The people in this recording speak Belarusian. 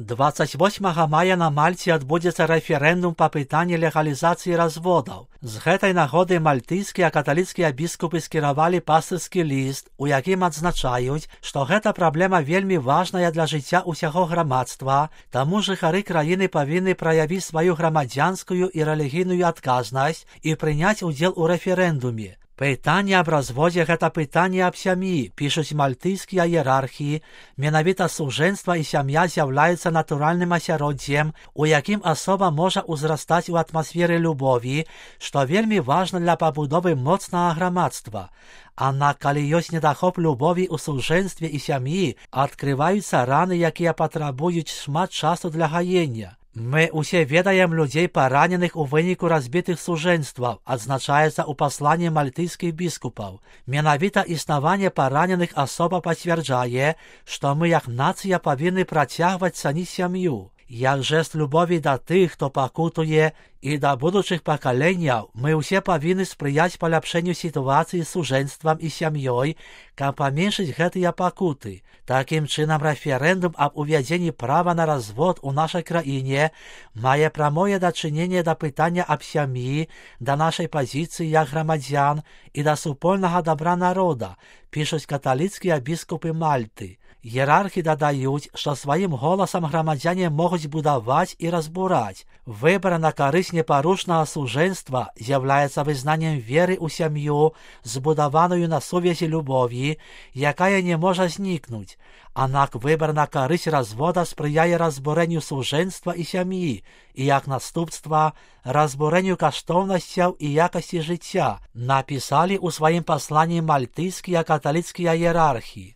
28 мая на Мальце адбудзецца рэферэндум па пытанні легалізацыі разводаў. З гэтай нагоды мальтыйскія каталіцкія біскупы скіравалі пастырскі ліст, у якім адзначаюць, што гэта праблема вельмі важная для жыцця ўсяго грамадства, таму жыхары краіны павінны праявіць сваю грамадзянскую і рэлігійную адказнасць і прыняць удзел у рэферэндуме. Пытанне аб разводзе – гэта пытанне аб сям'і, пішуць мальтыйскія іерархі. Менавіта сужэнства і сям'я з'яўляецца натуральным асяроддзем, у якім асоба можа ўзрастаць у атмасферы любові, што вельмі важна для пабудовы моцнага грамадства. Аднак, калі ёсць недахоп любові ў сужэнстве і сям'і, адкрываюцца раны, якія патрабуюць шмат часу для гаення. Мы ўсе ведаем людзей, параненых у выніку разбітых сужэнстваў, адзначаецца ў пасланні мальтыйскіх біскупаў. Менавіта існаванне параненых асоба пацвярджае, што мы як нацыя павінны працягваць цаніць сям'ю. Як жэст любові да тых, хто пакутуе, і да будучых пакаленняў, мы ўсе павінны спрыяць паляпшэнню сітуацыі з сужэнствам і сям'ёй, каб паменшыць гэтыя пакуты. Такім чынам, рэферэндум аб увядзенні права на развод у нашай краіне мае прамое дачыненне да пытання аб сям'і, да нашай пазіцыі як грамадзян і да супольнага дабра народа, пішуць каталіцкія біскупы Мальты. Іерархі дадаюць, што сваім голасам грамадзяне могуць будаваць і разбураць. Выбар на карысць непарушнага сужэнства з'яўляецца вызнаннем веры ў сям'ю, збудаваную на сувязі любові, якая не можа знікнуць. Аднак выбар на карысць развода спрыяе разбурэнню сужэнства і сям'і, і як наступства разбурэнню каштоўнасцяў і якасці жыцця, напісалі ў сваім пасланні мальтыйскія каталіцкія іерархі.